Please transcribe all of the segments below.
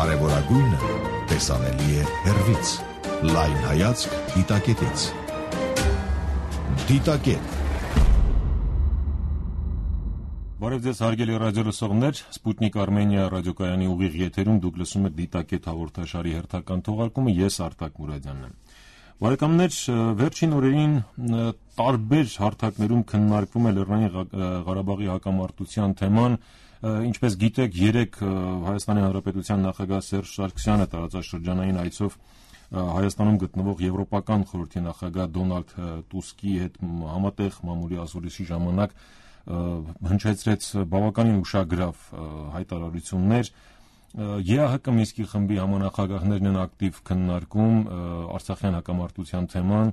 Կարևորագույնը տեսանելի է հեռվից։ Լայն հայացք դիտակետից։ Դիտակետ։ Բարև ձեզ հարգելի ռադիոլսողներ, Սպուտնիկ Արմենիա ռադիոկայանի ուղիղ եթերում դուք լսում եք Դիտակետ հաղորդաշարի հերթական թողարկումը, ես Արտակ Մուրադյանն եմ։ Բարեկամներ, վերջին օրերին տարբեր հարթակներում քննարկվում է Լեռնային Ղարաբաղի հակամարտության թեման, ինչպես գիտեք, երեկ Հայաստանի Հանրապետության նախագահ Սերժ Սարգսյանը տարածաշրջանային այցով Հայաստանում գտնվող Եվրոպական խորհրդի նախագահ Դոնալդ Տուսկի հետ համատեղ մամուլի ասուլիսի ժամանակ հնչեցրեց բավականին ուշագրավ հայտարարություններ։ ԵԱՀԿ Մինսկի խմբի համանախագահներն են ակտիվ քննարկում Արցախյան հակամարտության թեման,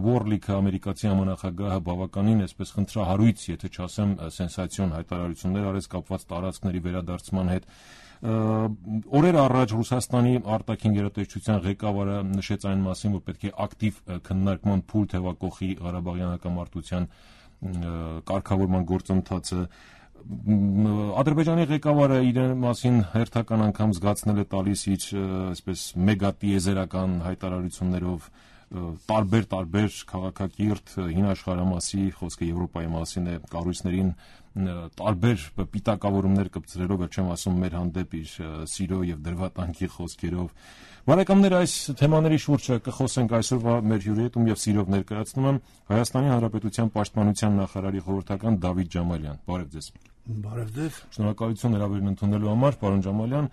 Warlick-ը ամերիկացի համանախագահը բավականին այսպես խնդրահարույց, եթե չասեմ սենսացիոն հայտարարություններ արեց կապված տարածքների վերադարձման հետ։ Օրեր առաջ Ռուսաստանի արտաքին գերատեսչության ղեկավարը նշեց այն մասին, որ պետք է ակտիվ քննարկման փուլ թևակողի Ղարաբաղյան հակամարտության կարգավորման գործընթացը։ Ադրբեջանի ղեկավարը իր մասին հերթական անգամ զգացնել է տալիս իր այսպես մեգատիեզերական հայտարարություններով տարբեր քաղաքակիրթ հին աշխարհամասի, խոսքը Եվրոպայի մասին է, կառույցներին տարբեր պիտակավորումներ կպցրելով, չեմ ասում մեր հանդեպ իր սիրո եւ դրվատանքի խոսքերով։ Բարեկամներ, այս թեմաների շուրջ կխոսենք այսօրվա մեր հյուրի հետ, ում եւ սիրով ներկայացնում եմ Հայաստանի Հանրապետության Պաշտպանության նախարարի խորհրդական Դավիթ Ջամալյան։ Բարև ձեզ։ Բարև ձեզ։ Շնորհակալություն հրավերն ընդունելու համար, պարոն Ջամալյան։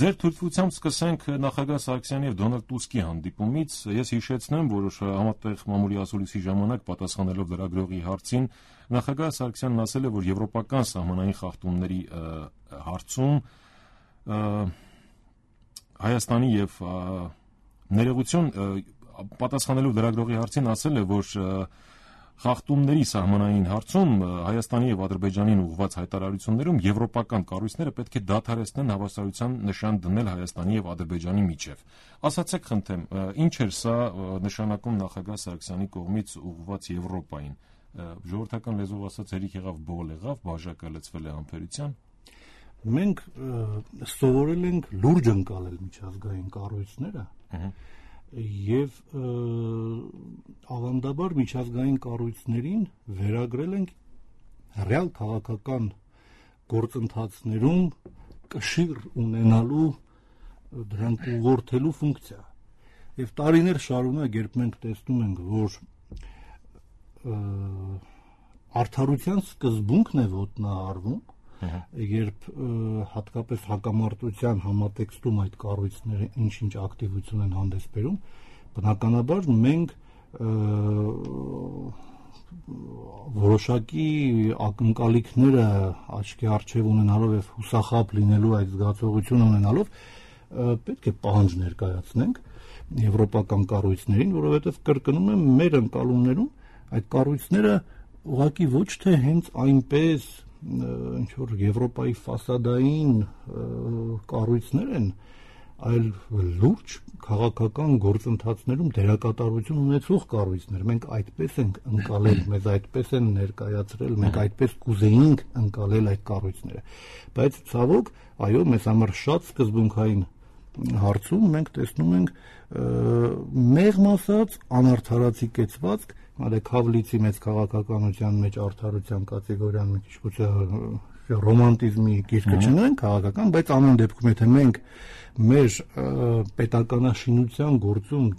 Ձեր թույլտվությամբ սկսենք նախագահ Սարգսյանի եւ Դոնալդ Տուսկի հանդիպումից։ Ես հիշեցնեմ, որ համատեղ մամուլի ասուլիսի ժամանակ պատասխանելով լրագրողի հարցին, նախագահ Սարգսյանն ասել է, որ եվրոպական սահմանային խախտումների հարցում Հայաստանի եւ ներողություն պատասխանելով լրագրողի հարցին ասել է, որ խախտումների սահմանային հարցում Հայաստանի եւ Ադրբեջանին ուղղված հայտարարություններում եվրոպական կառույցները պետք է դադարեցնեն հավասարության նշան դնել Հայաստանի եւ Ադրբեջանի միջեւ։ Ասացեք խնդրեմ, ինչ էր սա նշանակում նախագահ Սարգսյանի կողմից ուղղված Եվրոպային։ Ժողովրդական լեզվով ասած հերիք եղավ բողոլ եղավ, բաժակը լցվել է համբերության։ Մենք սովորել ենք լուրջ ընկալել միջազգային կառույցները եւ ավանդաբար միջազգային կառույցներին վերագրել ենք ռեալ քաղաքական գործընթացներում կշիռ ունենալու դրանք ուղղորդելու ֆունկցիա։ Եվ տարիներ շարունակ, երբ մենք տեսնում ենք, որ արդարության սկզբունքն է ոտնահարվում, երբ հատկապես հակամարտության համատեքստում այդ կառույցները ինչ-ինչ ակտիվություն են հանդես բերում, բնականաբար մենք որոշակի ակնկալիքները աչքի առջև ունենալով եւ հուսախաբ լինելու այդ զգացողությունը ունենալով պետք է պահանջ ներկայացնենք եվրոպական կառույցներին, որովհետեւ կրկնում եմ մեր ընկալումներում այդ կառույցները ուղղակի ոչ թե հենց այնպես ինչ որ Եվրոպայի ֆասադային կառույցներ են, այլ լուրջ քաղաքական գործընթացներում դերակատարություն ունեցող կառույցներ։ Մենք այդպես ենք ընկալել, մեզ այդպես են ներկայացրել, մենք այդպես կուզեինք ընկալել այդ կառույցները։ Բայց ցավոք, այո, մեզ համար շատ սկզբունքային հարցում մենք տեսնում ենք մեղմ ասած անարդարացի կեցվածք, Արեք Հավլիցի մեծ քաղաքականության մեջ արդարության կատեգորիան մի քիչ գուցե ռոմանտիզմի գիրքը չնենք քաղաքական, բայց ամեն դեպքում եթե մենք մեր պետականաշինության գործում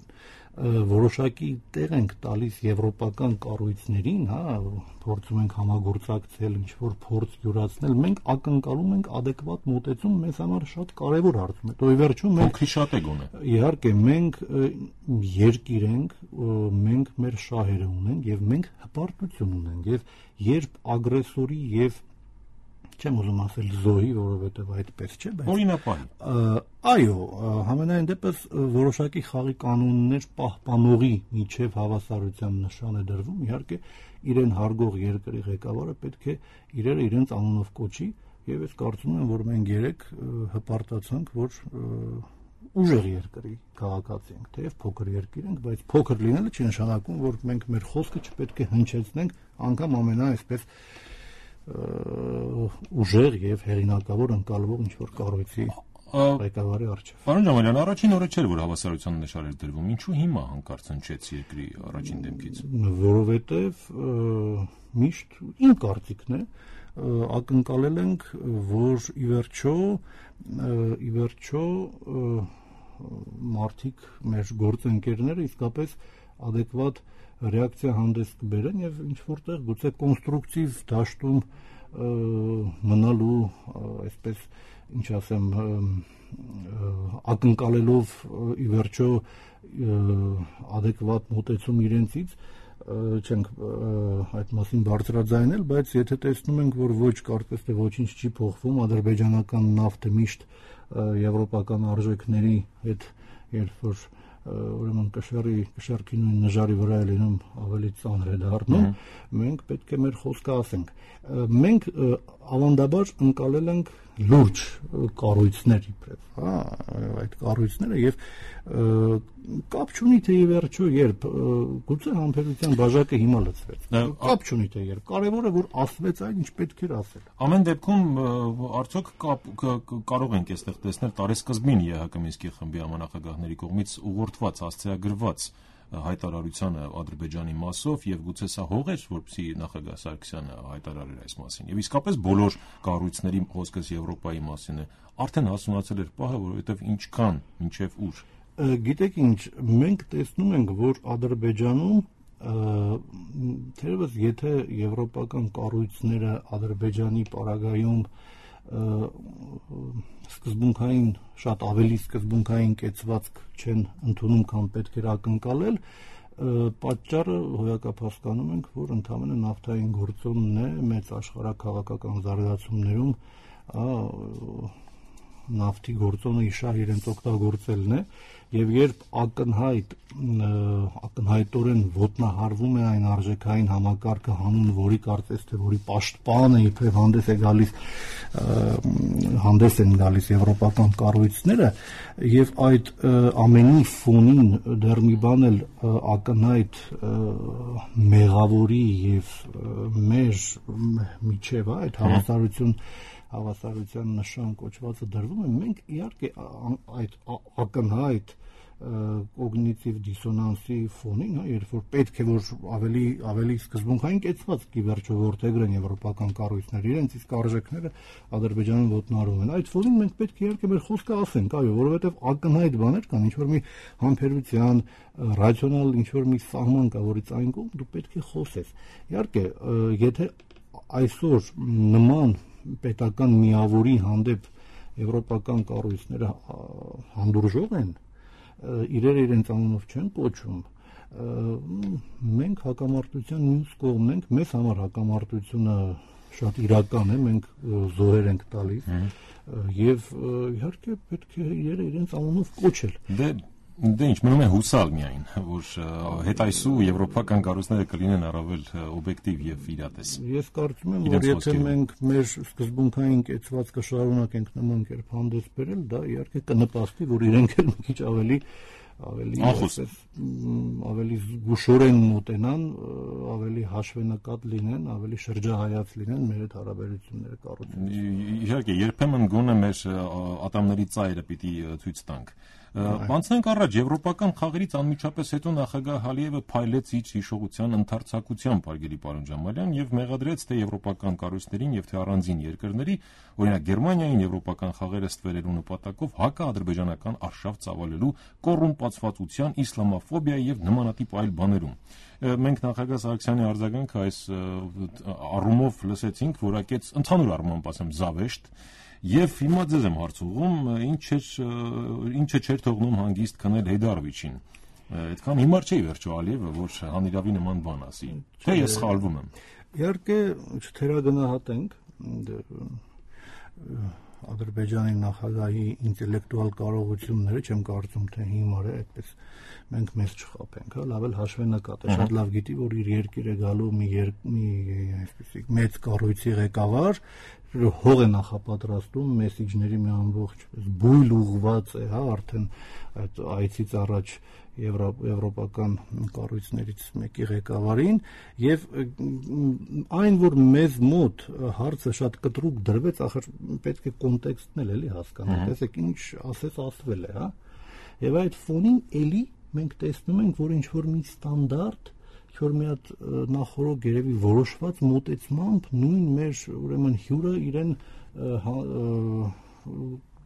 որոշակի տեղ ենք տալիս եվրոպական կառույցներին, փորձում ենք համագործակցել, ինչ-որ փորձ յուրացնել, մենք ակնկալում ենք adekvat մոտեցում մեզ համար շատ կարևոր հարցում է։ Դե վերջում մենք շատ է գոնե։ Իհարկե մենք երկիր ենք, մենք մեր շահերը ունենք եւ մենք հպարտություն ունենք եւ երբ ագրեսորի եւ չեմ ուզում ասել զոհի, որովհետև այդպես չէ, բայց օրինապահ։ Այո, համենայն դեպս որոշակի խաղի կանոններ պահպանողի միջև հավասարության նշան է դրվում, իհարկե իրեն հարգող երկրի ղեկավարը պետք է իրերը իրենց անունով կոչի, եւ ես կարծում եմ, որ մենք երեք հպարտացանք, որ ուժեղ երկրի քաղաքացի ենք, թեև փոքր երկիր ենք, բայց փոքր լինելը չի նշանակում, որ մենք մեր խոսքը չպետք է հնչեցնենք անգամ ամենաայսպես ուժեղ եւ հեղինակավոր ընկալվող ինչ որ կառույցի ղեկավարի առջև։ Պարոն Ջամալյան, առաջին օրը չէր, որ հավասարության նշան էր դրվում, ինչու հիմա հանկարծ հնչեց երկրի առաջին դեմքից։ Որովհետև միշտ իմ կարծիքն է, ակնկալել ենք, որ ի վերջո մարդիկ, մեր գործընկերները իսկապես adekvat ռեակցիա հանդես կբերեն եւ ինչ որտեղ գուցե կոնստրուկտիվ դաշտում մնալու, այսպես ինչ ասեմ, ակնկալելով ի վերջո adekvat մոտեցում իրենցից չենք այդ մասին բարձրաձայնել, բայց եթե տեսնում ենք, որ ոչ կարծես թե ոչինչ չի փոխվում, ադրբեջանական նավթը միշտ եվրոպական արժեքների հետ երբ որ ուրեմն կշեռքի նույն նժարի վրա է լինում, ավելի ծանր է դառնում, մենք պետք է մեր խոսքը ասենք։ Մենք ավանդաբար ընկալել ենք լուրջ կառույցներ իբրև, հա, այդ կառույցները եւ կապ չունի թե ի վերջո երբ գուցե համբերության բաժակը հիմա լցվեց։ Կապ չունի թե երբ, կարևորը որ ասվեց այն, ինչ պետք էր ասել։ Ամեն դեպքում արդյոք կարող ենք այստեղ տեսնել տարեսկզբին ԵՀԿ Մինսկի խմբի համանախագահների կողմից ուղղորդված, հասցեագրված հայտարարությանը Ադրբեջանի մասով եւ գուցե սա հող էր, որպեսզի նախագահ Սարգսյանը հայտարարեր այս մասին։ Եվ իսկապես բոլոր կառույցների խոսքս Եվրոպայի մասին է, արդեն հասունացել էր պահը, որովհետեւ ինչքան, մինչեւ ուր։ Գիտեք ինչ, մենք տեսնում ենք, որ Ադրբեջանում թերևս եթե եվրոպական կառույցները Ադրբեջանի պարագայում սկզբունքային, շատ ավելի սկզբունքային կեցվածք չեն ընդունում, քան պետք էր ակնկալել, պատճառը հոյակապ ենք, որ ընդհանրապես նավթային գործոնն է մեծ աշխարհաքաղաքական զարգացումներում նավթի գործոնը իշահ իրենց օգտագործելն է եւ երբ ակնհայտորեն ոտնահարվում է այն արժեքային համակարգը հանուն որի կարծես թե որի պաշտպանը իբրև հանդես են գալիս եվրոպական կառույցները եւ այդ ամենի ֆոնին դեռ մի բան էլ ակնհայտ մեղավորի եւ մեր միջև այդ հավասարության նշան կոչվածը դրվում է, մենք իհարկե այդ ակնհայտ կոգնիտիվ դիսոնանսի ֆոնին, երբ որ պետք է որ ավելի սկզբունքային կեցվածք ի վերջո որդեգրեն եվրոպական կառույցները, իրենց իսկ արժեքները Ադրբեջանում ոտնահարվում են։ Այդ ֆոնին մենք պետք է իհարկե մեր խոսքը ասենք, այո, որովհետև ակնհայտ բաներ կան, ինչ որ մի համբերության, ռացիոնալ ինչ որ մի սահման կա, որից այն կողմ դու պետք է խոսես։ Իհարկե, եթե այսօր նման պետական միավորի հանդեպ եվրոպական կառույցները հանդուրժող են, իրերը իրենց անունով չեն կոչում, մենք հակամարտության մյուս կողմն ենք, մեզ համար հակամարտությունը շատ իրական է, մենք զոհեր ենք տալիս եւ իհարկե պետք է իրերը իրենց անունով կոչել։ Դե ինչ, մնում է հուսալ միայն, որ հետայսու եվրոպական կառույցները կլինեն առավել օբյեկտիվ եւ իրատես։ Ես կարծում եմ, որ եթե մենք մեր սկզբունքային կեցվածքը շարունակենք նման կերպ հանդես բերել, դա իհարկե կնպաստի, որ իրենք էլ մի քիչ ավելի զգուշորեն մոտենան, ավելի հաշվենկատ լինեն, ավելի շրջահայաց լինեն մեր այդ հարաբերությունները կառուցելու։ Իհարկե, երբեմն գոնե մեր ատամների ծայրը պիտի ցույց տանք։ Անցնենք առաջ, եվրոպական խաղերից անմիջապես հետո նախագահ Ալիևը փայլեց իր հիշողության ընդարձակությամբ, հարգելի պարոն Ջամալյան, եւ մեղադրեց թե եվրոպական կառույցներին եւ թե առանձին երկրների, օրինակ Գերմանիային եվրոպական խաղերը ստվերելու նպատակով հակաադրբեջանական արշավ ծավալելու, կոռումպացվածության, իսլամաֆոբիայի եւ նմանատիպ այլ բաներում։ Մենք նախագահ Սարգսյանի արձագանքը այս առումով լսեցինք, որակեց ընդհանուր առմամբ ասեմ զավեշտ։ Եվ հիմա ձեզ եմ հարց ուղղում, ինչը չէր թողնում հանգիստ քնել Հեյդարովիչին։ Այդքան հիմար չէ վերջո Ալիևը, որ հանիրավի նման բան ասի։ Թե ես սխալվում եմ։ Իհարկե չթերագնահատենք Ադրբեջանի նախագահի ինտելեկտուալ կարողությունները, չեմ կարծում թե հիմար է, այդպես մենք մեզ չխաբենք, հա, լավ էլ հաշվենկատ է, շատ լավ գիտի, որ իր երկիր է գալու մի այսպեսի մեծ կառույցի ղեկավար, հող է նախապատրաստում, մեսիջների մի ամբողջ բույլ ուղված է, հա, արդեն այդ այցից առաջ եվրոպական կառույցներից մեկի ղեկավարին եւ այն որ մեզ մոտ հարցը շատ կտրուկ դրվեց, ախր պետք է կոնտեքստն էլի հասկանալ, տեսեք ինչ ասվել է, հա, եւ այդ ֆոնին էլի մենք տեսնում ենք, որ ինչ որ մի ստանդարտ, ինչ-որ մի հատ նախորդ երևի որոշված մոտեցմամբ նույն մեր ուրեմն հյուրը իրեն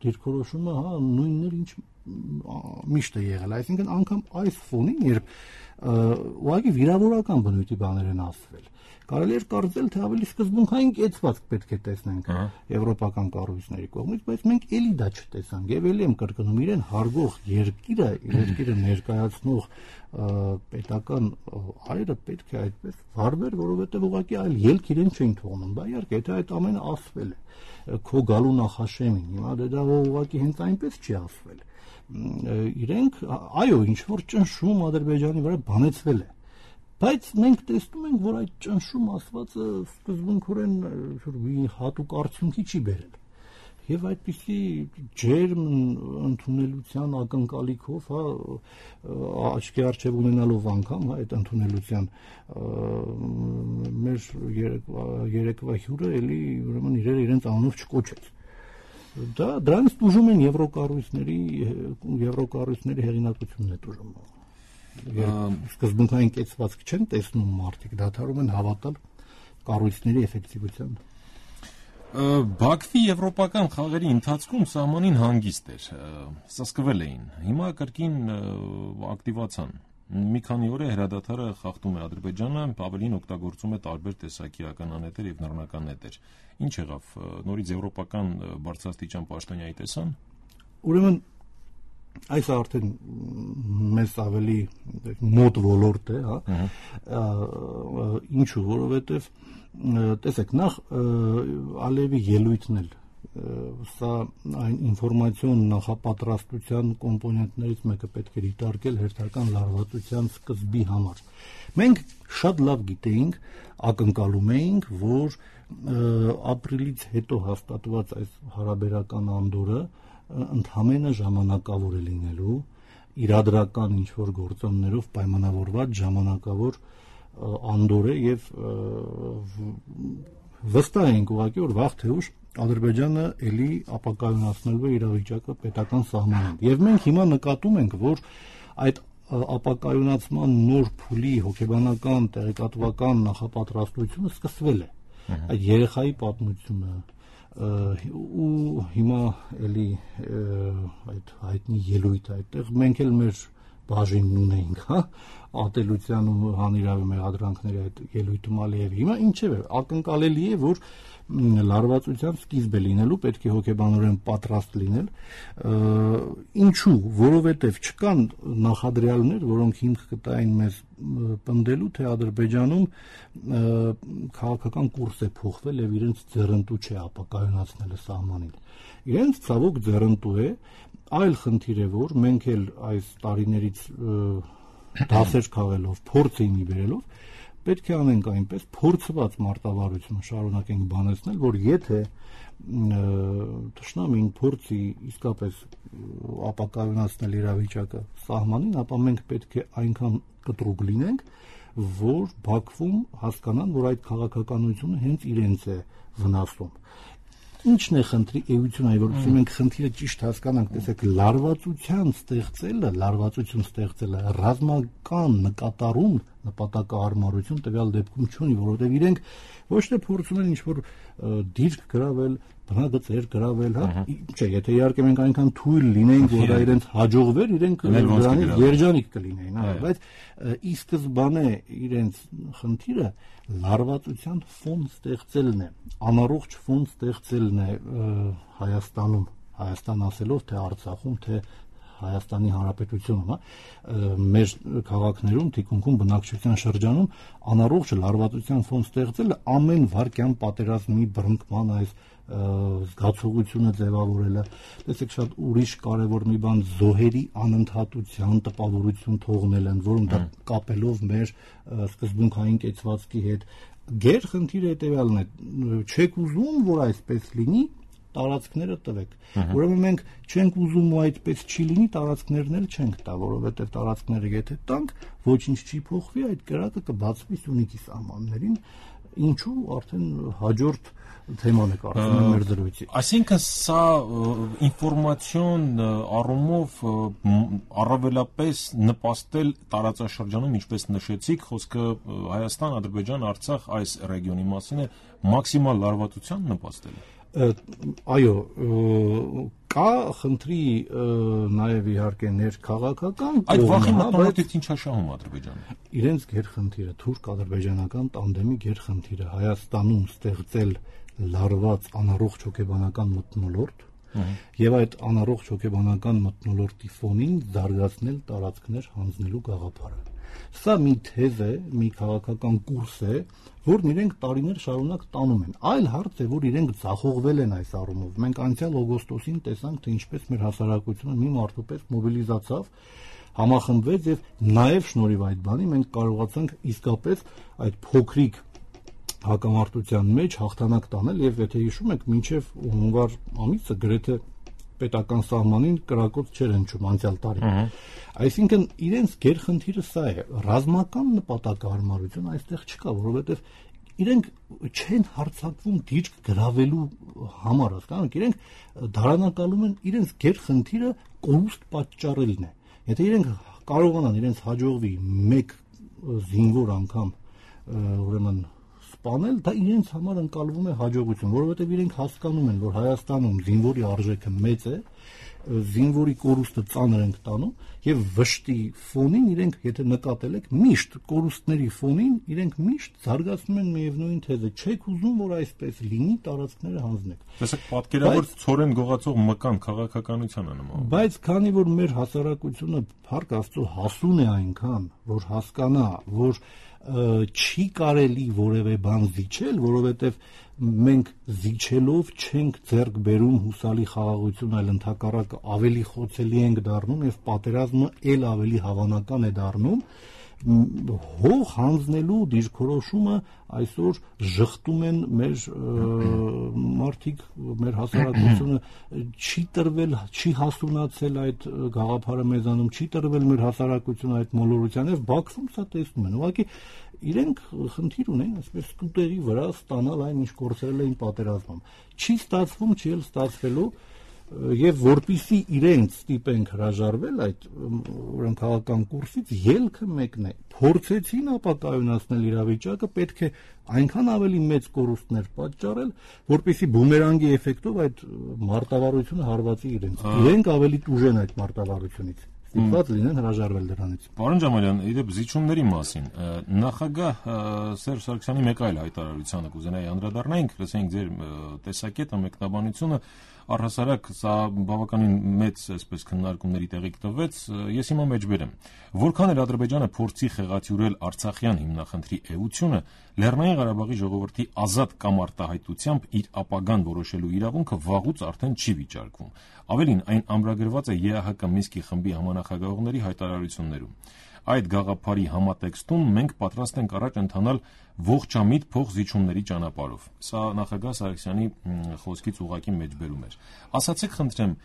դիրքորոշումը, հա, նույնն էր, ինչ միշտ է եղել, այսինքն անգամ այս ֆոնին, երբ ուղղակի վիրավորական բնույթի բաներ են ասվել, կարելի էր կարծել, թե ավելի սկզբունքային կեցվածք պետք է տեսնենք եվրոպական կառույցների կողմից, բայց մենք էլի դա չտեսանք եւ էլի եմ կրկնում, իրեն հարգող երկիրը ներկայացնող պետական այրը պետք է այդպես վարվեր, որովհետեւ ուղղակի այլ ելք իրեն չէին թողնում, բա իհարկե, եթե այդ ամենը ասվել է քո գալու նախաշեմին, հիմա դա ուղղակի հենց այնպես չի ասվել, իրենք այո, ինչ որ ճնշում Ադրբեջանի վրա բանեցվել է, բայց մենք տեսնում ենք, որ այդ ճնշում ասվածը սկզբունքորեն մի հատուկ արդյունքի չի բերել եւ այդպիսի ջերմ ընդունելության ակնկալիքով, հա, աչքի առջև ունենալով անգամ, հա, այդ ընդունելության մեր երեկվա հյուրը էլի ուրեմն իրենց անունով չկոչեց. Դրանից տուժում են եվրոկառույցների հեղինակությունն է տուժում. Սկզբունքային կեցվածք չեն տեսնում մարդիկ, դադարում են հավատալ կառույցների էֆեկտիվությանը. Բաքվի եվրոպական խաղերի ընթացքում սահմանին հանգիստ էր, սսկվել էին, հիմա կրկին ակտիվացան. մի քանի օր է հրադադարը խախտում է Ադրբեջանը, ավելին օգտագործում է տարբեր տեսակի ականանետեր եւ նռնական նետեր. Ինչ եղավ, նորից եվրոպական բարձրաստիճան պաշտոնյայի տեսան? Ուրեմն այս արդեն մեզ ավելի մոտ ոլորտ է, հա, ինչու, որովհետև տեսեք, նախ Ալիևի ելույթն էլ սա այն ինֆորմացիոն նախապատրաստության կոմպոնենտներից մեկը պետք է դիտարկել հերթական լարվածության սկզբի համար։ Մենք շատ լավ գիտեինք, ակնկալում էինք, որ ապրիլից հետո հաստատված այս հարաբերական անդորը ընդհանրապես ժամանակավոր է լինելու, իրադրական ինչ-որ գործոններով պայմանավորված ժամանակավոր անդոր է եւ վստահ ենք ուղղակի, որ վաղ թե ուշ Ադրբեջանը էլի ապակայունացնելու է իրավիճակը պետական սահմանին։ Եվ մենք հիմա նկատում ենք, որ այդ ապակայունացման նոր փուլի հոգեբանական, տեղեկատվական նախապատրաստությունը սկսվել է։ Այդ երեխայի պատմությունը ու հիմա էլի այդ հայտնի ելույթը այդտեղ մենք էլ մեր բաժինն ունենք, հա, ատելության ու հանիրավի մեղադրանքների այդ ելույթում Ալիևի։ Հիմա ինչև է, ակնկալելի է, որ լարվածության սկիզբ է լինելու, պետք է հոգեբանորեն պատրաստ լինել, ինչու, որովհետև չկան նախադրյալներ, որոնք հիմք կտային մեզ պնդելու, թե Ադրբեջանում քաղաքական կուրս է փոխվել եւ իրենց ձեռնտու չէ ապակայունացնելը սահմանին։ Իրենց ցավոք ձեռնտու է, այլ խնդիր է, որ մենք էլ այս տարիներից դասեր քաղելով, փորձ էինի բերելով, պետք է անենք այնպես փորձված մարտավարություն շարունակենք բանեցնել, որ եթե թշնամին փորձի իսկապես ապակայունացնել իրավիճակը սահմանին, ապա մենք պետք է այնքան կտրուկ լինենք, որ Բաքվում հասկանան, որ այդ քաղաքականությունը հենց իրենց է վնասում։ Ինչն է խնդրի էությունը, որովհետեւ մենք խնդիրը ճիշտ հասկանանք, տեսեք, լարվածություն ստեղծելը ռազմական նկատառում նպատակահարմարություն տվյալ դեպքում չունի, որովհետեւ իրենք ոչ թե փորձում են ինչ-որ դիրք գրավել, բնագծեր գրավել, հա, չէ, եթե իհարկե մենք այնքան թույլ լինենք, որ դա իրենց հաջողվեր, իրենք դրանից երջանիկ կլինեին, հա, բայց ի սկզբանե իրենց խնդիրը լարվածության ֆոն ստեղծելն է, անառողջ ֆոն ստեղծելն է Հայաստանում, Հայաստան ասելով, թե Արցախում, թե Հայաստանի Հանրապետությունում, հա, մեր քաղաքներում, թիկունքում, բնակչության շրջանում անառողջ լարվածության ֆոն ստեղծելը ամեն վարքյան պատերազմի բռնկման այս զգացողությունը ձևավորելը, տեսեք, շատ ուրիշ կարևոր մի բան զոհերի անընդհատության տպավորություն թողնել են, որոնք դա կապելով մեր սկզբունքային կեցվածքի հետ։ Գեր խնդիրը հետևյալն է, չեք ուզում, որ այսպես լինի, տարածքները տվեք։ Ուրեմն մենք չենք ուզում ու այդպես չի լինի, տարածքներն էլ չենք տա, որովհետև տարածքները եթե տանք, ոչինչ չի փոխվի, այդ կրակը կբացվի Սյունիքի սահմաններին, ինչու արդեն հաջորդ թեման է կարծում եմ մեր դրույթի։ Այսինքն սա ինֆորմացիոն առումով առավելապես նպաստել տարածաշրջանում, ինչպես նշեցիք, խոսքը Հայաստան, Ադրբեջան, Արցախ այս ռեգիոնի մասին է, մաքսիմալ լարվածության նպաստել։ Այո, կա խնդրի նաև իհարկե ներքաղաքական կողմը, այդ վախի մտնոլորտից ինչ է շահում Ադրբեջանը։ Իրենց գերխնդիրը, թուրք-ադրբեջանական տանդեմի գերխնդիրը Հայաստանում ստեղծել լարված անառողջ հոգեբանական մթնոլորտ եւ այդ անառողջ հոգեբանական մթնոլորտի ֆոնին զարգացնել տարածքներ հանձնելու գաղափարը։ Սա մի թեզ է, մի քաղաքական կուրս է, որն իրենք տարիներ շարունակ տանում են։ Այլ հարց է, որ իրենք ձախողվել են այս առումով։ Մենք անցյալ օգոստոսին տեսանք, թե ինչպես մեր հասարակությունը մի մարդու պես մոբիլիզացավ, համախմբվեց եւ նաեւ շնորհիվ այդ բանի մենք կարողացանք իսկապես այդ փոքրիկ հակամարտության մեջ հաղթանակ տանել եւ եթե հիշում եք, մինչեւ հունվար ամիսը գրեթե պետական սահմանին կրակոց չեր հնչում անցյալ տարի։ Այսինքն իրենց գերխնդիրը սա է, ռազմական նպատակահարմարություն այստեղ չկա, որովհետեւ իրենք չեն հարձակվում դիրք գրավելու համար, հասկանաք, իրենք դարանակալում են իրենց գերխնդիրը կորուստ պատճառելն է։ Եթե իրենք կարողանան իրենց հաջողվի մեկ զինվոր անգամ ուրեմն սպանել, դա իրենց համար ընկալվում է հաջողություն, որովհետև իրենք հասկանում են, որ Հայաստանում զինվորի արժեքը մեծ է, զինվորի կորուստը ծանր ենք տանում եւ վշտի ֆոնին իրենք, եթե նկատել եք, միշտ կորուստների ֆոնին իրենք միշտ զարգացնում են միևնույն թեզը, չեք ուզում, որ այսպես լինի, տարածքները հանձնեք։ Տեսեք, պատկերավոր ցորեն գողացող մկան քաղաքականությանը նման։ Բայց քանի որ մեր հասարակությունը փառք Աստծո հասուն է այնքան, որ հասկանա, որ չի կարելի որևէ բան զիջել, որովհետև մենք զիջելով չենք ձեռք բերում հուսալի խաղաղություն, այլ ընդհակառակը ավելի խոցելի ենք դառնում եւ պատերազմը ել ավելի հավանական է դառնում, հող հանձնելու դիրքորոշումը այսօր ժխտում են մեր մարդիկ, մեր հասարակությունը չի տրվել, չի հասունացել այդ գաղափարը մեզանում, չի տրվել մեր հասարակությունը այդ մոլորության եւ Բաքվում սա տեսնում են։ Ուղղակի իրենք խնդիր ունեն այսպես սկուտերի վրա ստանալ այն ինչ կորցրել էին պատերազմում։ Չի ստացվում, չի էլ ստացվելու եւ որպիսի իրենք ստիպենք հրաժարվել այդ ուրեմն քաղաքական կուրսից ելքը մեկն է փորձեցին ապակայունացնել իրավիճակը պետք է այնքան ավելի մեծ կորուստներ պատճառել որպիսի բումերանգի էֆեկտով այդ մարտավարությունը հարվածի իրենք ավելի տուժեն այդ մարտավարությունից ստիպված լինեն հրաժարվել դրանից։ Պարոն Ջամալյան, իդեպ զիջումների մասին նախագահ Սերժ Սարգսյանի մեկ այլ հայտարարությանը կուզենայի անդրադառնայինք, լսենք ձեր տեսակետը, մեկնաբանությունը, առհասարակ սա բավականին մեծ այսպես քննարկումների տեղիք տվեց, ես հիմա մեջբերեմ։ Որքան էլ Ադրբեջանը փորձի խեղաթյուրել Արցախյան հիմնախնդրի էությունը, Լեռնային Ղարաբաղի ժողովրդի ազատ կամ արտահայտությամբ իր ապագան որոշելու իրավունքը վաղուց արդեն չի վիճարկվում։ Ավելին, այն ամրագրված է ԵԱՀԿ Մինսկի խմբի համանախագահողների հայտարարություններում։ Այդ գաղափարի համատեքստում մենք պատրաստ ենք առաջ ընթանալ ողջամիտ փոխզիջումների ճանապարհով։ Սա նախագահ Սարգսյանի խոսքից ուղղակի մեջբերում էր։ Ասացեք, խնդրեմ,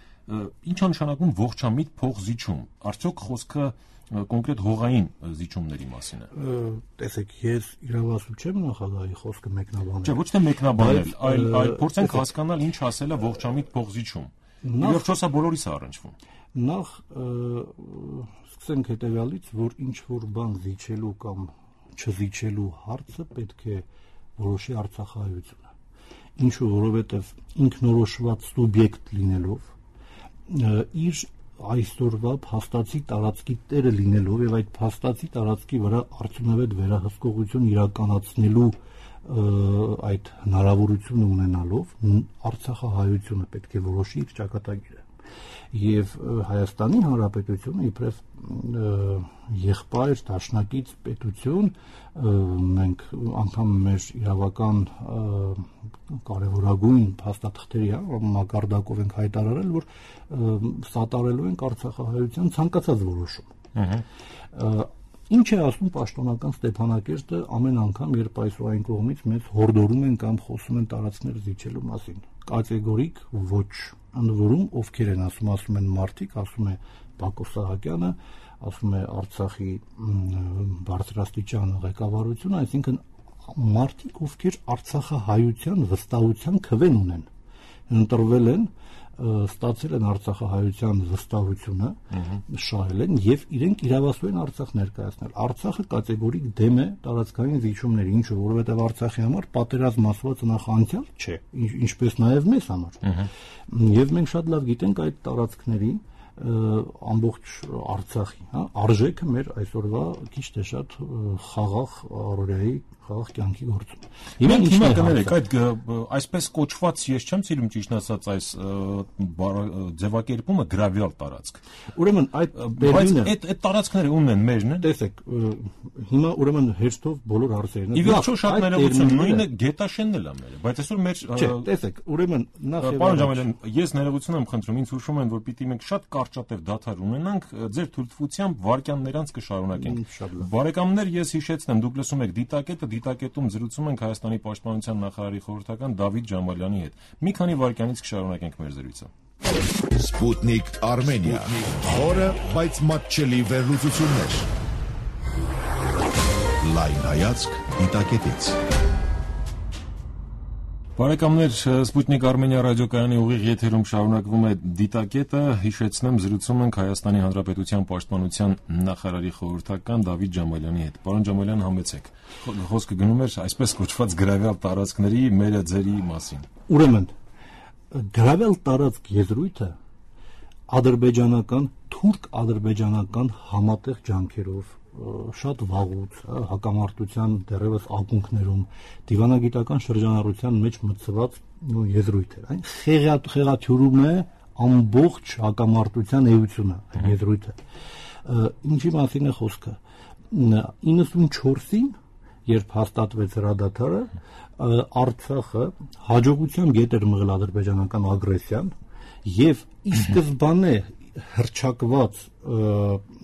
ինչ է նշանակում ողջամիտ փոխզիջում։ Արդյոք խոսքը կոնկրետ հողային զիջումների մասին է։ Տեսեք, ես իրավասու չեմ նախագահի խոսքը մեկնաբանել։ Չէ, ոչ թե մեկնաբանել, այլ փորձենք հասկանալ ինչ ասել է ողջամիտ փոխզիջում։ Եվ սա բոլորիս է առնչվում։ Նախ սկսենք հետևյալից, որ ինչ որ բան զիջելու կամ չզիջելու հարցը պետք է որոշի Արցախահայությունը։ Ինչու, որովհետև ինքնորոշված սուբյեկտ լինելով, իր այսօրվա փաստացի տարածքի տերը լինելով եւ այդ փաստացի տարածքի վրա արդյունավետ վերահսկողություն իրականացնելու այդ հնարավորությունը ունենալով Արցախահայությունը պետք է որոշի իր ճակատագիրը եւ Հայաստանի Հանրապետությունը իբրև եղբայր դաշնակից պետություն մենք անգամ մեր իրավական կարևորագույն փաստաթղթերի մակարդակով ենք հայտարարել որ սատարելու ենք Արցախահայության ցանկացած որոշում Ինչ է ասում պաշտոնական Ստեփանակերտը ամեն անգամ, երբ այսօր այն կողմից մեզ հորդորում են կամ խոսում են տարածքներ զիջելու մասին։ Կատեգորիկ ոչ։ Ընդ որում ովքեր են ասում են մարդիկ, ասում է Բակո Սահակյանը, ասում է Արցախի բարձրաստիճան ղեկավարությունը, այսինքն մարդիկ, ովքեր արցախահայության վստահության քվեն ունեն, ընտրվել են, ստացել են արցախահայության վստահությունը, շահել են եւ իրենք իրավասու են Արցախ ներկայացնել։ Արցախը կատեգորիկ դեմ է տարածքային զիջումների, ինչը որովհետեւ Արցախի համար պատերազմ ասված նախ անցյալ չէ, ինչպես նաեւ մեզ համար։ Եվ մենք շատ լավ գիտենք այդ տարածքների ամբողջ Արցախի, արժեքը մեր այսօրվա քիչ թե շատ խաղաղ առօրյայի խաղաղ կյանքի գործում։ Մենք հիմա կներեք այդ այսպես կոչված, ես չեմ սիրում ճիշտ ասած այս ձևակերպումը գրավյալ տարածք։ Ուրեմն այդ բերյունը այդ տարածքները ումն են մերն են։ Տեսեք, հիմա ուրեմն հերթով բոլոր հարցերն են։ Ի վերջո շատ ներողություն, նույնը Գետաշենն էլ է մեր, բայց այսօր մեր Չէ, տեսեք, ուրեմն նախ եւ Պարոն Ջամալյան, ես ներողություն եմ խնդրում, ինձ հուշում են, որ պիտի մենք շատ կարճատև դադար ունենանք, ձեր թույլտվությամբ վարքյաններ անց կշարունակենք։ Բարեկամներ, ես հիշեցնեմ, դուք լսում եք Դիտակետում զրուցում ենք Հայաստանի պաշտպանության նախարարի խորհրդական Դավիթ Ջամալյանի հետ։ Մի քանի վայրկյանից կշարունակենք մեր զրույցը։ Sputnik Armenia. Խորը, բայց մատչելի վերլուծություններ։ Լայն հայացք Դիտակետից։ Բարեկամներ, Sputnik Armenia ռադիոկայանի ուղիղ եթերում շարունակվում է Դիտակետը, հիշեցնեմ, զրուցում ենք Հայաստանի Հանրապետության պաշտպանության նախարարի խորհրդական Դավիթ Ջամալյանի հետ։ Պարոն Ջամալյան, համեցեք։ Խոսքը գնում էր այսպես կոչված գրավյալ տարածքների մերը ձերի մասին։ Ուրեմն, գրավյալ տարածք եզրույթը ադրբեջանական, թուրք-ադրբեջանական համատեղ ջանքերով շատ վաղուց հակամարտության դեռևս ակունքներում դիվանագիտական շրջանառության մեջ մտցված եզրույթ է։ Այն խեղաթյուրում է ամբողջ հակամարտության էությունը, եզրույթը։ Ինչի մասին է խոսքը։ 94-ին, երբ հաստատվեց հրադադարը, Արցախը հաջողությամբ ետ էր մղել ադրբեջանական ագրեսիան եւ ի սկզբանե հրճակված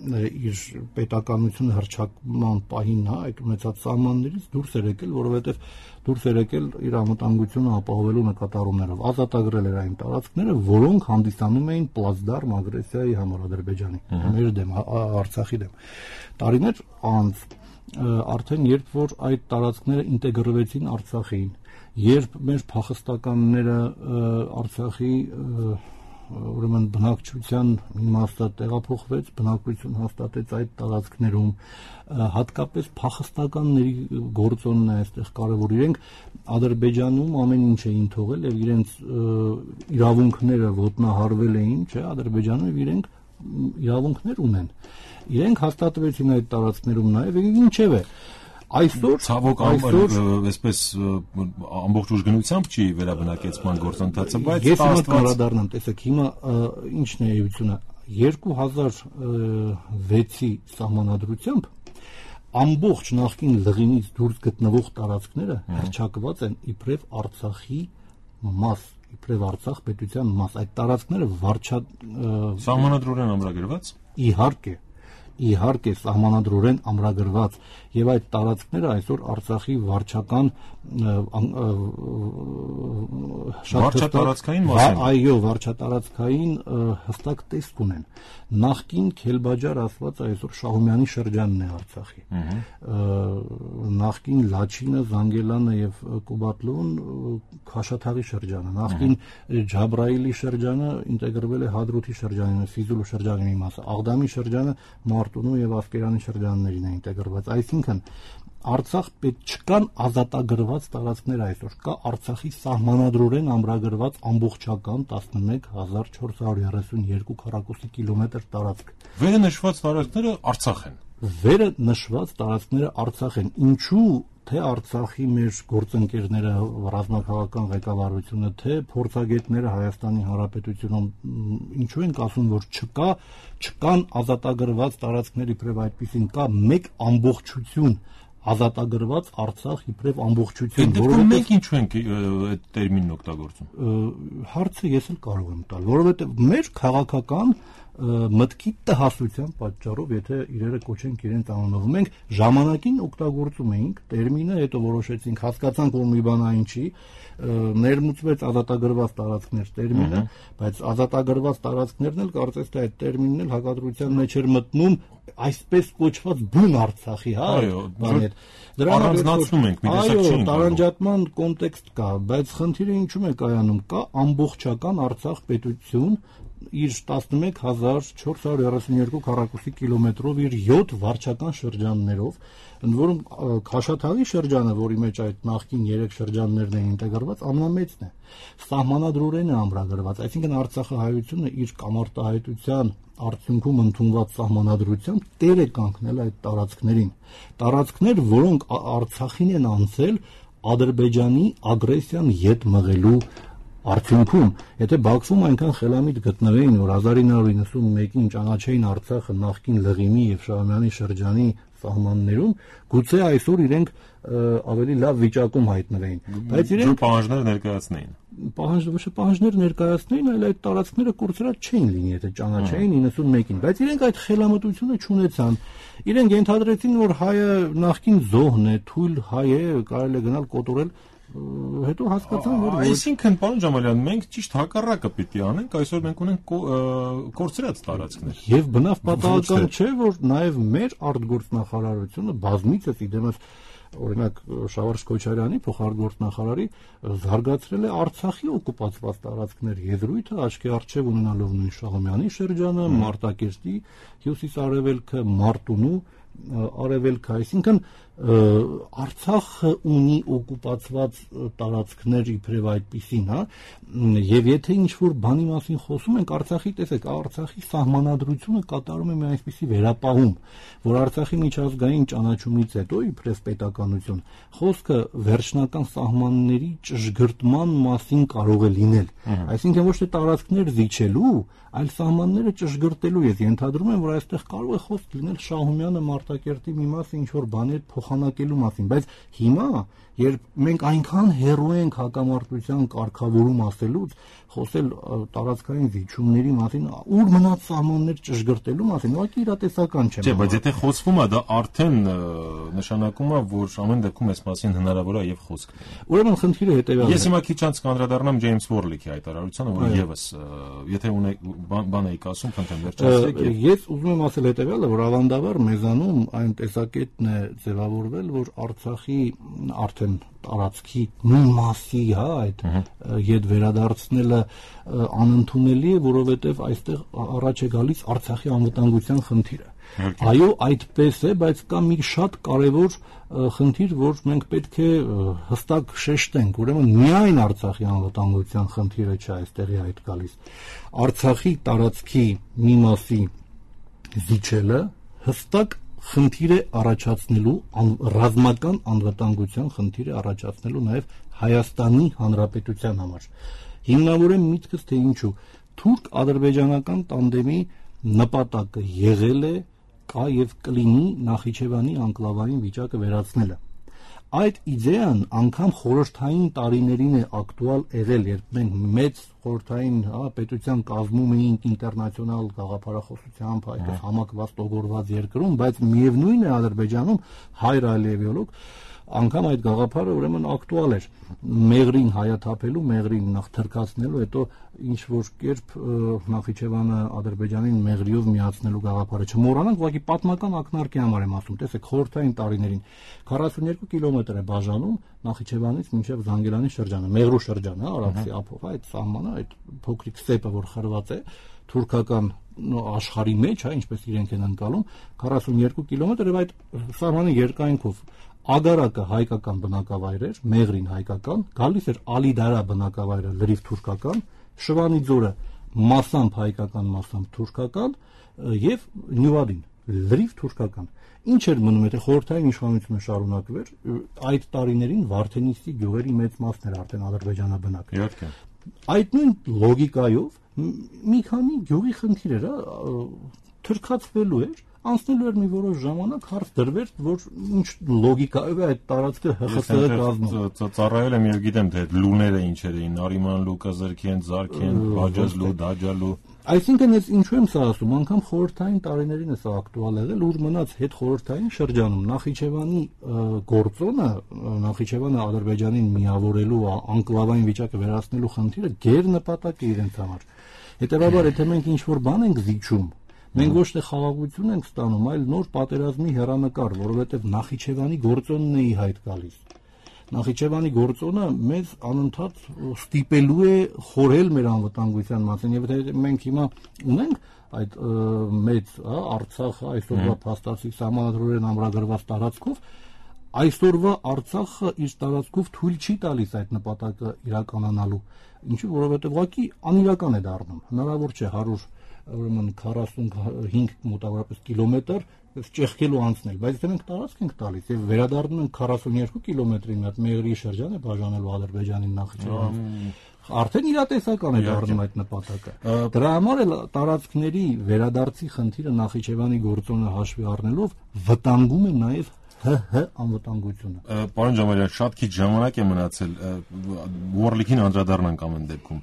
իր պետականությունը հրճակման պահին այդ ունեցած սահմաններից դուրս էր եկել, որովհետև դուրս էր եկել իր անվտանգությունը ապահովելու նկատառումներով, ազատագրել էր այն տարածքները, որոնք հանդիսանում էին պլացդարմ ագրեսիայի համար Ադրբեջանի, մեր դեմ, Արցախի դեմ։ Տարիներ անց արդեն երբ որ այդ տարածքները ինտեգրվեցին Արցախին, երբ մեր փախստականները Արցախի ուրեմն բնակչության իմաստը տեղափոխվեց, բնակություն հաստատեց այդ տարածքներում, հատկապես փախստականների գործոնն է այստեղ կարևոր, իրենք Ադրբեջանում ամեն ինչ էին թողել եւ իրենց իրավունքները ոտնահարվել էին, չէ, Ադրբեջանում եւ իրենք իրավունքներ ունեն։ Իրենք հաստատվեցին այդ տարածքներում նաեւ, ինչեւ է այսօր ցավոք այսպես ամբողջ ուժգնությամբ չի վերաբնակեցման գործընթացը, բայց ես հիմա կառադառնամ, տեսեք, հիմա ինչն է էությունը 2006-ի սահմանադրությամբ ամբողջ նախկին լղինից դուրս գտնվող տարածքները հռչակված են իբրև Արցախի մաս, իբրև Արցախ պետության մաս, այդ տարածքները սահմանադրորեն ամրագրված։ Իհարկե սահմանադրորեն ամրագրված եւ այդ տարածքները այսօր Արցախի վարչական վարչատարածքային մասն, այո, վարչատարածքային հստակ տեսք ունեն։ Նախկին Քելբաջար ասված այսօր Շահումյանի շրջանն է Արցախի։ Նախկին Լաչինը, Զանգելանը եւ Կուբատլոն Քաշաթաղի շրջանը, նախկին Ջաբրայիլի շրջանը ինտեգրվել է Հադրութի շրջանին, Ֆիզուլու շրջանի մի մասը, Աղդամի շրջանը Մարտունու եւ Ասկերանի շրջաններին է ինտեգրված, այսինքն Արցախ պետք չկան ազատագրված տարածքներ այսօր, կա Արցախի սահմանադրորեն ամրագրված ամբողջական 11432 քառակուսի կիլոմետր տարածք։ Վերը նշված տարածքները Արցախ են։ Վերը նշված տարածքները Արցախ են։ Ինչու թե Արցախի մեր գործընկերները, ռազմաքաղաքական ղեկավարությունը, թե փորձագետները Հայաստանի Հանրապետությունում ինչու են ասում, որ չկան ազատագրված տարածքներ իբրև այդպիսին, կա մեկ ամբողջություն ազատագրված Արցախ իբրև ամբողջություն, որովհետեւ մենք ինչու ենք այդ տերմինն օգտագործում։ Հարցը ես էլ կարող եմ տալ, որովհետեւ մեր քաղաքական մտքի տհասության պատճառով, եթե իրերը կոչենք իրենց անունով, մենք ժամանակին օգտագործում էինք տերմինը, հետո որոշեցինք, հասկացանք, որ մի բան այն չի, ներմուծվեց ազատագրված տարածքներ տերմինը, բայց ազատագրված տարածքներն էլ կարծես թե այդ տերմինն էլ հակադրության մեջ էր մտնում այսպես կոչված բուն Արցախի, հա, բաներ։ Առանձնացնում ենք, մի տեսակ չի։ Այո, տարանջատման կոնտեքստ կա, բայց խնդիրը ինչու՞մ է կայանում, կա ամբողջական Արցախ պետություն իր 11432 քառակուսի կիլոմետրով իր 7 վարչական շրջաններով, ընդ որում Քաշաթաղի շրջանը, որի մեջ այդ նախկին 3 շրջաններն են ինտեգրված, ամենամեծն է։ Սահմանադրորեն է ամրագրված, այսինքն Արցախի հայությունը իր կամարտահայտության արդյունքում ընդունված սահմանադրությամբ տեր է կանգնել այդ տարածքներին։ Տարածքներ, որոնք Արցախին են անցել Ադրբեջանի ագրեսիան ետ մղելու արդյունքում, եթե Բաքվում այնքան խելամիտ գտնվեին, որ 1991-ին ճանաչեին Արցախը նախկին Լղիմի եւ Շահումյանի շրջանի սահմաններում, գուցե այսօր իրենք ավելի լավ վիճակում հայտնվեին, բայց իրենք պահանջներ ներկայացնեին։ Պահանջներ ներկայացնեին, այլ այդ տարածքները կորցրած չէին լինի, եթե ճանաչեին 91-ին, բայց իրենք այդ խելամտությունը չունեցան։ Իրենք ենթադրեցին, որ հայը նախկին զոհն է, թույլ հայ է, կարելի է գնալ կոտորել, հետո հասկացան, որ այսինքն, պարոն Ջամալյան, մենք ճիշտ հակառակը պիտի անենք, այսօր մենք ունենք կորցրած տարածքներ։ Եվ բնավ պատահական չէ, որ նաև մեր արտգործնախարարությունը բազմիցս իդեմս օրինակ Շավարժ Քոչարյանի փոխարտգործնախարարի զարգացրել է Արցախի օկուպացված տարածքներ եզրույթը, աչքի առջև ունենալով նույն Շահումյանի շրջանը, Մարտակերտի հյուսիս-արևելքը, Մարտունու արևելքը, այսինքն Արցախը ունի օկուպացված տարածքներ իբրև այդպիսին, հա, եւ եթե ինչ-որ բանի մասին խոսում ենք, Արցախի, տեսեք, Արցախի սահմանադրությունը կատարում է մի այսպիսի վերապահում, որ Արցախի միջազգային ճանաչումից հետո իբրև պետականություն խոսքը վերջնական սահմանների ճշգրտման մասին կարող է լինել, այսինքն ոչ թե տարածքներ զիջելու, այլ սահմանները ճշգրտելու, ես ենթադրում եմ, որ այստեղ կարող է խոսք լինել Շահումյանը Մարտակերտի մի մասը ինչ-որ բաներ փոխանակելու մասին, բայց հիմա, երբ մենք այնքան հեռու ենք հակամարտության կարգավորում ասելուց, խոսել տարածքային զիջումների մասին, ուր մնաց սահմաններ ճշգրտելու մասին, ուղղակի իրատեսական չէ։ Չէ, բայց եթե խոսվում է, դա արդեն նշանակում է, որ ամեն դեպքում այս մասին հնարավոր է եւ խոսք։ Ուրեմն խնդիրը հետեւյալն է։ Ես հիմա քիչ անց կանդրադառնամ Ջեյմս Վորլիքի հայտարարությանը, որը եւս եթե ունեք բան եք ասում, խնդրեմ վերջացրեք։ Ես ուզում եմ ասել հետեւյալը, որ ավանդաբար մեզանում այն տեսակետն է ձևավորվել, որ Արցախի արդեն տարածքի նույն մասի, հա, այդ ետ վերադարձնելը անընդունելի է, որովհետև այստեղ առաջ է գալիս Արցախի անվտանգության խնդիրը։ Այո, այդպես է, բայց կա մի շատ կարևոր խնդիր, որ մենք պետք է հստակ շեշտենք, ուրեմն միայն Արցախի անվտանգության խնդիրը չէ այստեղի այդ գալիս։ Արցախի տարածքի մի մասի զիջելը հստակ խնդիր է առաջացնելու, ռազմական անվտանգության խնդիր է առաջացնելու նաև Հայաստանի Հանրապետության համար։ Հիմնավորեմ միտքս, թե ինչու թուրք-ադրբեջանական տանդեմի նպատակը եղել է, կա եւ կլինի Նախիջևանի անկլավային վիճակը վերացնելը։ Այդ իդեան անգամ խորհրդային տարիներին է ակտուալ եղել, երբ մենք մեծ խորհրդային պետության կազմում էինք ինտերնացիոնալ գաղափարախոսությամբ, այդպես համակված տոգորված երկրում, բայց միևնույն է Ադրբեջանում հայր այլևիոլոգ անգամ այդ գաղափարը ուրեմն ակտուալ էր Մեղրին հայաթափելու, Մեղրին նախ թրքացնելու, հետո ինչ որ կերպ Նախիջևանը Ադրբեջանին Մեղրիով միացնելու գաղափարը չմոռանանք, ուղղակի պատմական ակնարկի համար եմ ասում, տեսեք, խորհրդային տարիներին 42 կիլոմետր է բաժանում Նախիջևանից մինչև Զանգելանի շրջանը, Մեղրու շրջանը, Արաքսի ափով, այդ սահմանը, այդ փոքրիկ ստեպը, որ խրված է թուրքական աշխարհի մեջ, հա, ինչպես իրենք են անցալում, 42 կիլոմետր եւ այդ սահմանի երկայնքով Ագարակը հայկական բնակավայր էր, Մեղրին հայկական, գալիս էր Ալիդարա բնակավայրը լրիվ թուրքական, Շվանի ձորը մասամբ հայկական, մասամբ թուրքական եւ Նյուվադին լրիվ թուրքական։ Ինչ էր մնում, եթե խորհրդային իշխանությունը շարունակվեր, այդ տարիներին Վարդենիսի գյուղերի մեծ մասն էր արդեն ադրբեջանաբնակ։ Իհարկե։ Այդ նույն լոգիկայով մի քանի գյուղի խնդիր էր, թրքացվելու էր, անցնելու էր մի որոշ ժամանակ, հարց դրվեր, որ ինչ լոգիկայով է այդ տարածքը ՀԽՍՀ կազմում։ Ծառայել եմ եւ գիտեմ թե լուները ինչեր էին, Արիմանլու, Կզրքեն, Զարքեն, Բաջազլու, Դաջալու։ Այսինքն ես ինչու եմ սա ասում, անգամ խորհրդային տարիներին է սա ակտուալ եղել, ուր մնաց հետ խորհրդային շրջանում Նախիջևանի գործոնը, Նախիջևանը Ադրբեջանին միավորելու, անկլավային վիճակը վերացնելու խնդիրը գերնպատակ է իրենց համար։ Հետևաբար, եթե մենք ինչ-որ բան ենք զիջում, մենք ոչ թե խաղաղություն ենք ստանում, այլ նոր պատերազմի հեռանկար, որովհետև Նախիջևանի գործոնն է ի հայտ գալիս։ Նախիջևանի գործոնը մեզ անընդհատ ստիպելու է խորհել մեր անվտանգության մասին, եւ եթե մենք հիմա ունենք այդ մեծ Արցախը այսօրվա փաստացի սահմանադրորեն ամրագրված տարածքով, այսօրվա Արցախը իր տարածքով թույլ չի տալիս այդ նպատակը իրականանալու, ինչու որովհետեւ ուղղակի անիրական է դառնում, հնարավոր չէ 45 մոտավորապես կիլոմետր ճեղքելու անցնել, բայց եթե մենք տարածք ենք տալիս եւ վերադառնում ենք 42 կիլոմետրի մի հատ Մեղրի շրջան է բաժանելու Ադրբեջանին Նախիջևանից, արդեն իրատեսական է դառնում այդ նպատակը։ Դրա համար էլ տարածքների վերադարձի խնդիրը Նախիջևանի գործոնը հաշվի առնելով վտանգում է նաեւ ՀՀ անվտանգությունը։ Պարոն Ջամալյան, շատ քիչ ժամանակ է մնացել, Ուորլիքին անդրադառնանք ամեն դեպքում։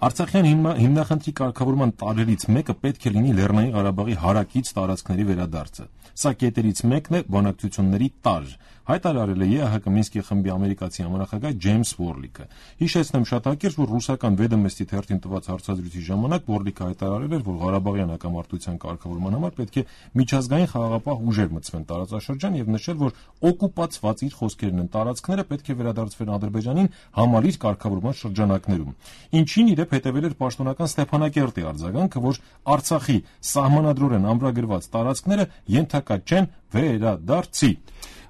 Արցախյան հիմնախնդրի կարգավորման տարրերից մեկը պետք է լինի Լեռնային Ղարաբաղի հարակից տարածքների վերադարձը։ Սա կետերից մեկն է բանակցությունների տարր։ Հայտարարել է ԵԱՀԿ Մինսկի խմբի ամերիկացի համանախագահ Ջեյմս Ուորլիկը։ Հիշեցնեմ շատ հակիրճ, որ ռուսական Վեդոմստի թերթին տված հարցազրույցի ժամանակ Ուորլիկը հայտարարել էր, որ Ղարաբաղյան հակամարտության կարգավորման համար պետք է միջազգային խաղաղապահ ուժեր մտցվեն տարածաշրջան եւ նշել, որ օկուպացված իր խոսքերն են տարածքները պետք է վերադարձվեն Ադրբեջանին համալիր կարգավորման շրջանակներում։ Ինչին իրեւ հետևել էր պաշտոնական Ստեփանակերտի արձագանքը, որ Արցախի սահմանադրորեն ամրագրված տարածքները ենթակա չեն վերադարձի։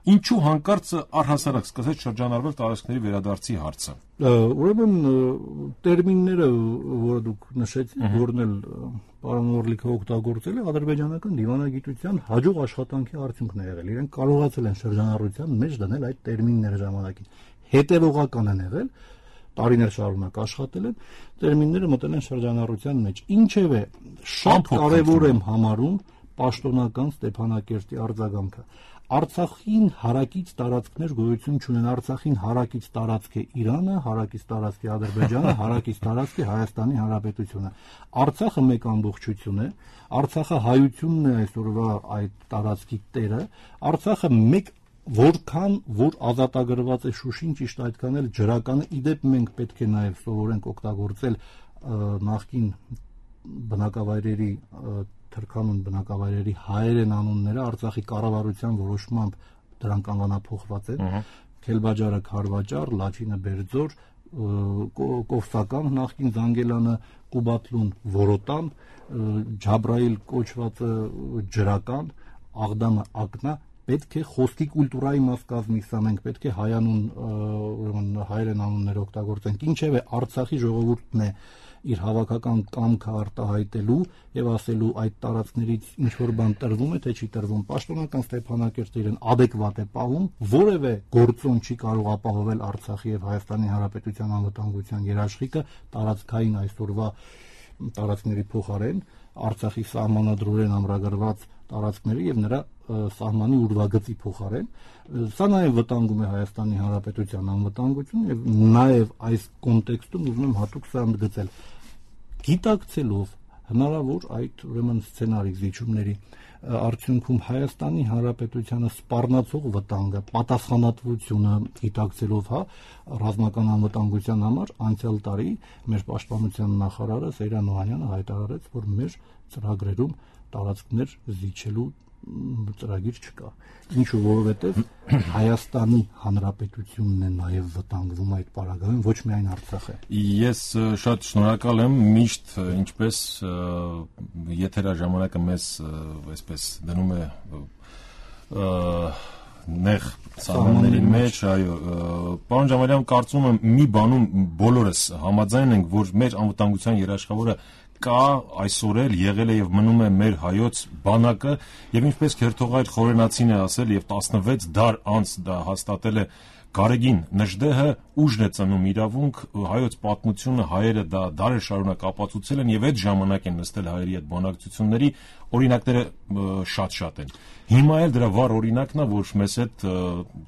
Ինչու հանկարծ առհասարակ սկսեց շրջանառվել տարածքների վերադարձի հարցը։ Ուրեմն տերմինները, որը դուք նշեցիք, որն էլ պարոն Ուորլիկը օգտագործել է, ադրբեջանական դիվանագիտության հաջող աշխատանքի արդյունքն է եղել։ Իրենք կարողացել են շրջանառության մեջ դնել այդ տերմինները ժամանակին։ Հետևողական են եղել, տարիներ շարունակ աշխատել են, տերմինները մտել են շրջանառության մեջ։ Ինչևէ, շատ կարևոր եմ համարում պաշտոնական Ստեփանակերտի արձագանքը։ Արցախին հարակից տարածքներ գոյություն չունեն, Արցախին հարակից տարածք է Իրանը, հարակից տարածք է Ադրբեջանը, հարակից տարածք է Հայաստանի Հանրապետությունը։ Արցախը մեկ ամբողջություն է, Արցախը հայությունն է այսօրվա այդ տարածքի տերը, Արցախը մեկ որքան որ ազատագրված է Շուշին, ճիշտ այդքան էլ ջրականը, իդեպ մենք պետք է նաև սովորենք օգտագործել նախկին բնակավայրերի թրքանուն բնակավայրերի հայերեն անունները Արցախի կառավարության որոշմամբ դրանք անվանափոխված են, Քելբաջարը Քարվաճար, Լաչինը Բերձոր, Կովսական նախկին Զանգելանը Կուբատլուն Որոտան, Ջաբրայիլ կոչվածը Ջրական, Աղդամը Ակնա, պետք է խոսքի կուլտուրայի մաս կազմի, սա մենք պետք է հայանուն ուրեմն հայերեն անուններ օգտագործենք, ինչևէ Արցախի ժողովուրդն է իր հավաքական կամքը արտահայտելու եւ ասելու այդ տարածքներից ինչ որ բան տրվում է թե չի տրվում, պաշտոնական Ստեփանակերտը իրեն adekvat է պահում, որևէ գործոն չի կարող ապահովել Արցախի եւ Հայաստանի Հանրապետության անվտանգության երաշխիքը տարածքային այսօրվա տարածքների փոխարեն Արցախի սահմանադրորեն ամրագրված տարածքների եւ նրա սահմանի ուրվագծի փոխարեն, սա նաեւ վտանգում է Հայաստանի Հանրապետության անվտանգությունը եւ նաեւ այս կոնտեքստում ուզում եմ հատուկ սա ընդգծել, գիտակցելով հնարավոր այդ ուրեմն սցենարի զիջումների արդյունքում Հայաստանի Հանրապետությանը սպառնացող վտանգը, պատասխանատվությունը գիտակցելով, ռազմական անվտանգության համար անցյալ տարի մեր պաշտպանության նախարարը Սեյրան Օհանյանը հայտարարեց, որ մեր ծրագրերում տարածքներ զիջելու ծրագիր չկա։ Ինչու, որովհետև Հայաստանի Հանրապետությունն է նաև վտանգվում այդ պարագայում, ոչ միայն Արցախը։ Ես շատ շնորհակալ եմ, միշտ ինչպես եթերաժամանակը մեզ այսպես դնում է նեղ սահմանների մեջ, այո, պարոն Ջամալյան, կարծում եմ մի բանում բոլորս համաձայն ենք, որ մեր անվտանգության երաշխավորը կա, այսօր էլ եղել է եւ մնում է մեր հայոց բանակը եւ ինչպես քերթողայր Խորենացին է ասել եւ 16 դար անց դա հաստատել է Գարեգին Նժդեհը, ուժն է ծնում իրավունք, հայոց պատմությունը հայերը դա դարեր շարունակ ապացուցել են եւ այդ ժամանակ են նստել հայերի հետ բանակցությունների, օրինակները շատ են։ Հիմա էլ դրա վառ օրինակն է, որ մեզ հետ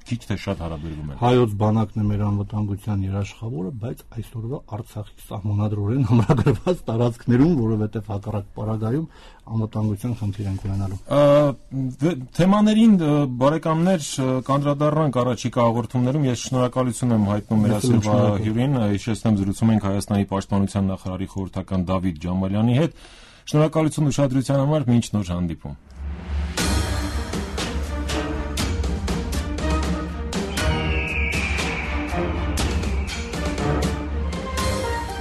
քիչ թե շատ հարաբերվում են։ Հայոց բանակն է մեր անվտանգության երաշխավորը, բայց այսօրվա Արցախի սահմանադրորեն ամրագրված տարածքներում, որովհետև հակառակ պարագայում անվտանգության խնդիր ենք ունենալու։ Թեմաներին բարեկամներ կանդրադառնանք առաջիկա հաղորդումներում։ Ես շնորհակալություն եմ հայտնում մեր այսօրվա հյուրին, հիշեցնեմ զրուցում ենք Հայաստանի պաշտպանության նախարարի խորհրդական Դավիթ Ջամալյանի հետ։ Շնորհակալություն ուշադրության համար, մինչ նոր հանդիպում։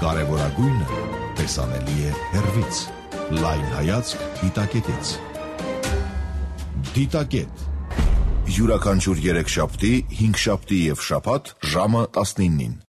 Կարևորագույնը տեսանելի է հեռվից։ Լայն հայացք դիտակետից։ Դիտակետ։ Յուրաքանչյուր 3 շաբթի, 5 շաբթի եւ շաբաթ ժամը 19-ին։